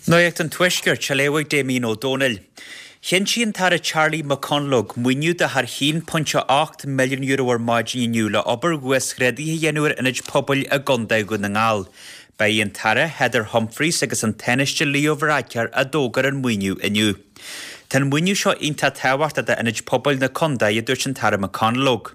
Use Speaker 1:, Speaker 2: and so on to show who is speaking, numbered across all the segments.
Speaker 1: Nuacht an Tuaiscirt, á léamh ag Damien Ó Dónaill. Chinntigh an tAire Charlie McConalogue maoiniú de thar €1.8 milliún ar maidin inniu le obair uasghrádaithe a dhéanamh ar ionaid pobail i gContae Dhún na nGall. Ba í an tAire Heather Humphreys agus an Tánaiste Leo Varadkar a d'fhógair an maoiniú inniu. Tá an maoiniú seo iontach tábhachtach d'ionaid pobail na contae, a dúirt an tAire McConalogue.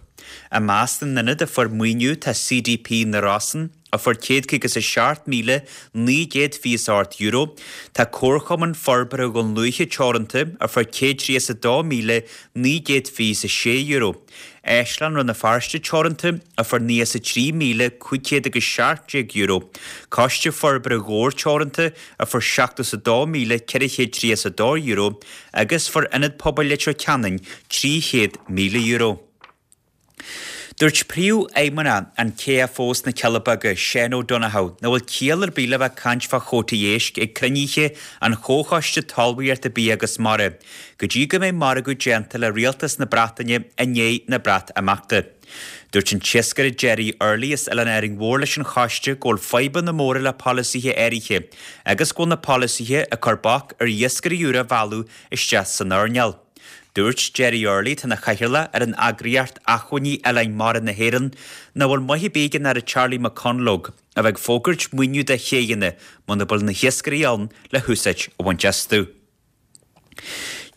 Speaker 1: I measc na n-ionad a fuair maoiniú tá CDP na Rosann, a fuair €157,928, tá Comharchumann Forbartha Dhún Lúiche Teoranta a fuair €132,926, Áislann Rann na Feirste Teoranta a fuair €93,517, Coiste Forbartha Dhobhair Teoranta a fuair €72,432 agus fuair Ionad Pobail Leitir Ceanainn €300,000. Dúirt Príomhfheidhmeannach an KFO sna Cealla Beaga, Seán O'Donoghue, nach bhfuil ciall ar bith le bheith ag caint fá chótaí éisc ag cruinnithe an Chomhchoiste Talmhaíochta, Bia agus Mara go dtí go mbeidh margadh déanta le Rialtas na Breataine i ndiaidh na Breatimeachta. Dúirt an t-iascaire Gerry Early as Oileán Árainn Mhór leis an choiste go bhfuil fadhbanna móra le polasaithe áirithe agus go bhfuil na polasaithe ag cur bac ar iascairí úra a mhealladh isteach san earnáil. Dúirt Gerry Early, atá ina chathaoirleach ar an eagraíocht Acmhainní Oileáin Mara na hÉireann, nach bhfuil maith ar bith ag an Aire Charlie McConalogue a bheith ag fógairt maoiniú do chéidheanna muna bhfuil na hiascairí ann le húsáid a bhaint astu.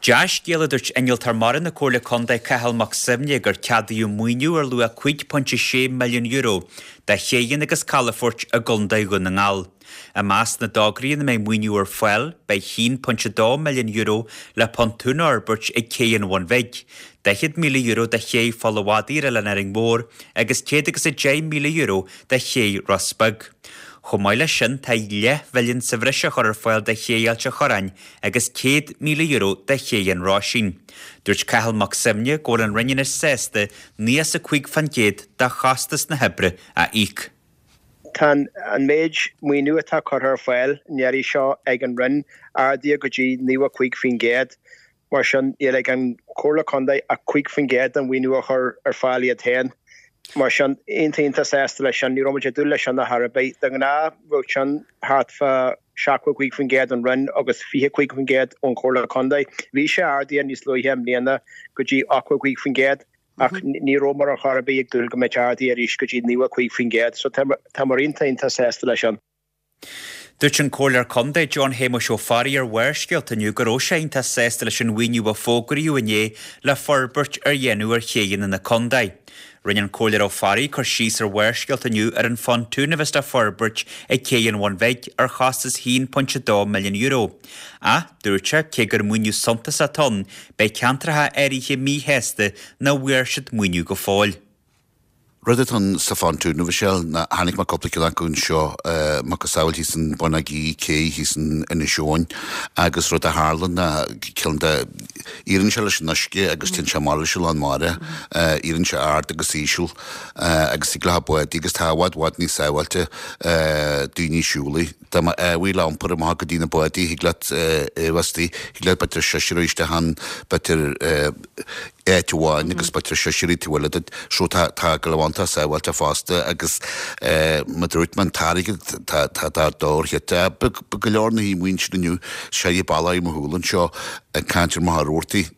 Speaker 1: Dea-scéal a dúirt Innealtóir Mara na Comhairle Contae Cathal Mac Suibhne gur ceadaíodh maoiniú ar luach €5.6 milliún do chéidheanna agus calafoirt i gContae Dhún na nGall. I measc na dtograí ina mbeidh maoiniú ar fáil, beidh €1.2 milliún le pontún a fhorbairt ag Cé an Bhun Bhig, €40,000 do Ché Pholl a' Mhadaidh ar Oileán Árainn Mhór agus €110,000 do Ché Ros Beag. Chomh maith leis sin, tá leathmhilliún sa bhreis á chur ar fáil do Ché Ailt a' Chorráin agus €100,000 do Ché an Ráisín. Dúirt Cathal Mac Suibhne go bhfuil an Roinn anois sásta 95% de chostas na hoibre a íoc.
Speaker 2: Tá an méid maoiniú atá curtha ar fáil an iarraidh seo ag an Roinn ardaithe go dtí 95%. Mar sin, níl ag an Chomhairle Contae ach 5% den mhaoiniú a chur ar fáil iad féin. Mar sin, iontach iontach sásta leis sin. Ní raibh muid ag dúil leis sin ar chor ar bith. De ghnáth, bheadh sin thart fá 75% ón Roinn agus 25% ón Chomhairle Contae. Bhí sé ardaithe níos luaithe i mbliana go dtí 85%. Ach ní rabhamar ar chor ar bith ag dúil go mbeadh ardaithe arís go dtí 95%, so táimid iontach iontach sásta leis sin.
Speaker 1: Dúirt an Comhairleoir Contae John Shéamuis Ó Fearraigh ar Bharrscéalta inniu go raibh sé iontach sásta leis an mhaoiniú a fógraíodh inné le forbairt a dhéanamh ar chéidheanna na contae. Rinne an Comhairleoir Ó Fearraigh cur síos ar Bharrscéalta inniu ar an phontún a bheas le forbairt ag Cé an Bhun Bhig ar chostas €1.2 milliún. Ach, dúirt sé, cé gur maoiniú suntasach atá ann, beidh ceantracha áirithe míshásta nach bhfuair siad maoiniú go fóill.
Speaker 3: Rud atá ann sa phontún, a Mhichelle, ná chonaic mé cúpla ceann acu anseo, macasamhail thíos in Bun Átha Gí, cé thíos in Inis Eoghain, agus rud a tharla ná ceann de, éiríonn sé leis an uisce agus téann sé amach leis an lán mara, éiríonn sé ard agus íseal agus thig leat bádaí agus tá i bhfad bhfad níos sábháilte daoine siúl. Dá mba ábhaí le iompar amach go dtí na bádaí, thig leat é a bheith istigh, thig leat b'fhéidir seisear isteach ann, b'fhéidir áit amháin agus b'fhéidir seisear taobh eile duit. So tá, tá go leor iontach sábháilte fosta agus mar a dúirt mé, an t-airgead, tá, tá, tá dobharcheite. Ba go leor na haoibh ansin inniu, sé bealach i mo shúil anseo ag caint ar Mhachaire Rabhartaigh.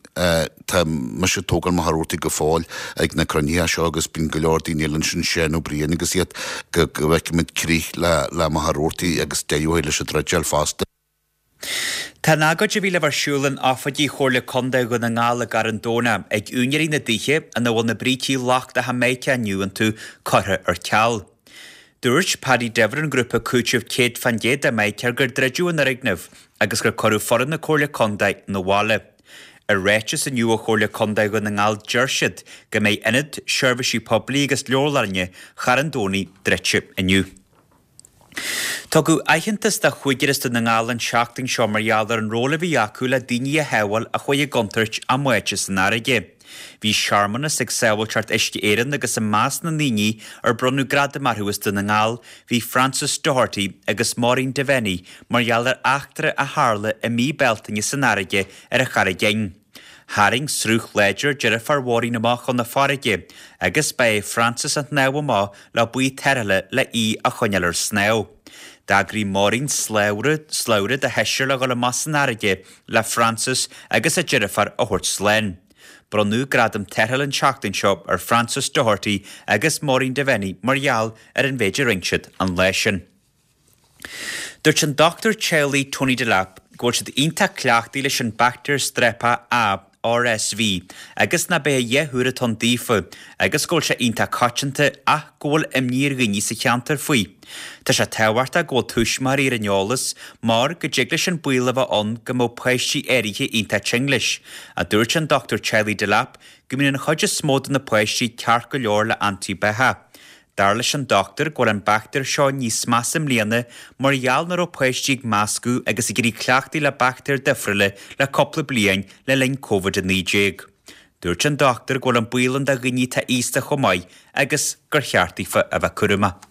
Speaker 3: Tá mise ag tógáil Machaire Rabhartaigh go fóill ag na cruinnithe seo agus bíonn go leor daoine eile ansin, Seán Ó Briain agus iad, go bhfeicfimid crích le le Machaire Rabhartaigh agus deireadh leis an druideáil fosta.
Speaker 1: Tá an agóid a bhí le bheith ar siúl in oifigí Chomhairle Contae Dhún na nGall i gCarn Domhnach ag úinéirí na dtithe ina bhfuil na brící lochtacha Mica inniu iontu curtha ar ceal. Dúirt Paddy Diver ón ngrúpa cúitimh 100% do Mica gur druideadh an fhoirgneamh agus gur cuireadh foireann na Comhairle Contae 'na bhaile. I ráiteas inniu ó Chomhairle Contae Dhún na nGall deir siad go mbeidh Ionad Seirbhísí Poiblí agus Leabharlainne Charn Domhnaigh druidte inniu. Tugadh aitheantas do chúigear as Dún na nGall an tseachtain seo mar gheall ar an ról a bhí acu le daoine a shábháil a chuaigh i gcontúirt á mbáite san fharraige. Bhí searmanas ag Sábháilteacht Uisce Éireann agus i measc na ndaoine ar bronnadh gradaim orthu as Dún na nGall bhí Francis Doherty agus Maureen Devenny mar gheall ar eachtra a tharla i mí Bealtaine san fharraige ar an Charraig Fhinn. Tharraing sruth láidir deirfiúr Mhaureen amach chun na farraige agus ba é Francis a shnámh amach le baoi tarrthála le í a choinneáil ar snámh. D'eagraigh Maureen slabhra, slabhra de sheisear le dhul amach san fharraige le Frances agus a deirfiúr a thabhairt slán. Bronnadh Gradam Tarrthála an tseachtain seo ar Frances Doherty agus Maureen Devenny mar gheall ar an mhéid a rinne siad an lá sin. Dúirt an dochtúir teaghlaigh Tony Delap go bhfuil siad iontach cleachtaithe leis an baictéar Streip A, RSV, agus nach b'é a dhath úr atá ann daofa agus go bhfuil sé iontach coitianta ach go bhfuil imní ar dhaoine sa cheantar faoi. Tá sé tábhachtach go bhfuil tuismitheoirí ar an eolas mar go dtig leis an baol a bheith ann go mbeadh páistí áirithe iontach tinn leis, a dúirt an Dr Teaghlaigh Delap go mbíonn an chuid is mó de na páistí ceart go leor le antaibheathach. Dar leis an dochtúir go bhfuil an baictéar seo níos measa i mbliana mar gheall nach raibh páistí ag meascadh agus ag éirí cleachtaithe le baictéir difriúla le cúpla bliain le linn Covid-19. Dúirt an dochtúir go bhfuil an baol ann do dhaoine atá aosta chomh maith agus gur cheart daofa a bheith cúramach.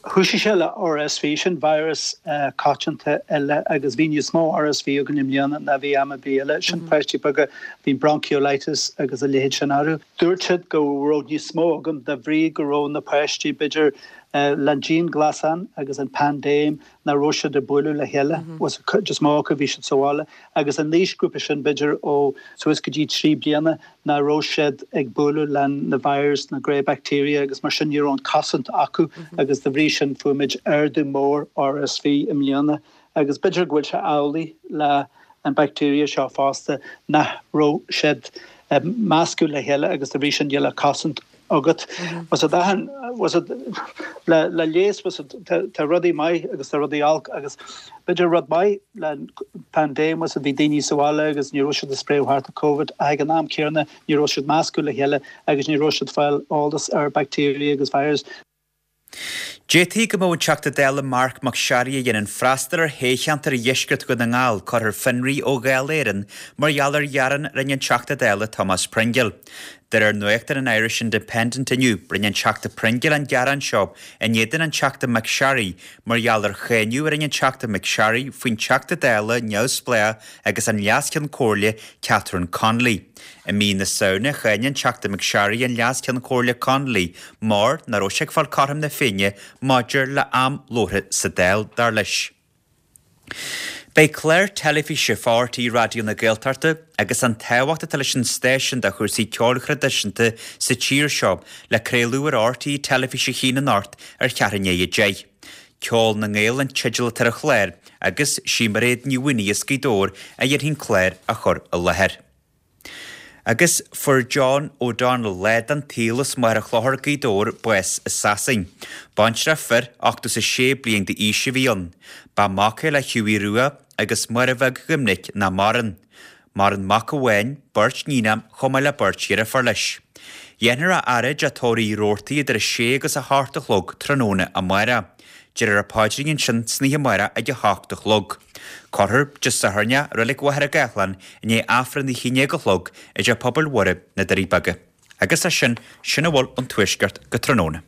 Speaker 4: Thoisigh sé le RSV, sin virus coitianta eile agus bhí níos mó RSV againn i mbliana ná bhí am ar bith eile. Sin páistí beaga, bhí bronchiolitis agus a leithéid sin orthu. Dúirt siad go raibh níos mó againn de bhrí go raibh na páistí, b'fhéidir, le an dianghlasáil agus an paindéim, nach raibh siad ag bualadh le chéile, was an chuid is mó acu bhí siad sa bhaile, agus an aoisghrúpa sin b'fhéidir ó suas go dtí 3 bliana nach raibh siad ag bualadh le na virus, na grey bacteria agus mar sin ní raibh an cosaint acu agus de bhrí sin fuair muid ardú mór RSV i mbliana agus b'fhéidir go bhfuil sé amhlaidh le an bacteria seo fosta nach raibh siad ag meascadh le chéile agus de bhrí sin níl an cosaint agat. Was it achan, was it le le leigheas, was it tá rudaí maith agus tá rudaí olc agus b'fhéidir rud maith le paindéim was it bhí daoine sa bhaile agus ní raibh siad ag spréadh thart an Covid ach ag an am céanna ní raibh siad meascadh le chéile agus ní raibh siad fáil eolas ar bacteria agus virus.
Speaker 1: D'fhéadfaí go mbeadh an Teachta Dála Marc Mac Searraigh a dhéanann freastal ar thoghcheantar Dheisceart Dhún na nGall curtha ar fionraí ó Dháil Éireann mar gheall ar ghearán a rinne an Teachta Dála Tomás Pringle. De réir nuachtáin an Irish Independent inniu, rinne an Teachta Pringle an gearán seo in éadan an Teachta McSharry mar gheall ar cháineadh a rinne an Teachta McSharry faoin Teachta Dála neamhspleách agus an Leas-Cheann Comhairle Catherine Connolly. I mí na Samhna, cháin an Teachta McSharry an Leas-Cheann Comhairle Connolly mar nach raibh sé ag fáil cothrom na Féinne maidir le am labhartha sa Dáil, dar leis. Beidh clár teilifíse fá RTÉ Raidió na Gaeltachta agus an tábhacht atá leis an stáisiún do chúrsaí ceoil thraidisiúnta sa tír seo le craoladh ar RTÉ Teilifís 1 anocht ar cheathrú i ndiaidh 10. Ceol na nGael an teideal atá ar an chlár agus sí Mairéad Ní Mhaonaigh as Gaoth Dobhair a dhéanfaidh an clár a chur i láthair. Agus fuair John O'Donnell, leaid den tsaol as Machaire Chlochair, Gaoth Dobhair, bás i Sasain. Baintreach fir, 86 bliain d'aois a bhí ann. Ba mac é le Hughie Rua agus Máire Bheag Dhoimnic nach maireann. Maireann mac amháin, beirt níon chomh maith le beirt dheirfiúr leis. Dhéanfar a fhaire i dTigh Tórraimh Uí Robhartaigh idir 6 agus 8 a chlog tráthnóna amárach. Déarfar an paidrín ansin san oíche amárach ag 8 a chlog. Cuirfear Dé Sathairn é i Reilig Mhachaire Gathlán i ndiaidh Aifreann a 11 a chlog i dTeach Pobail Mhuire, na Doirí Beaga. Agus as sin, sin a bhfuil ón Tuaisceart go tráthnóna.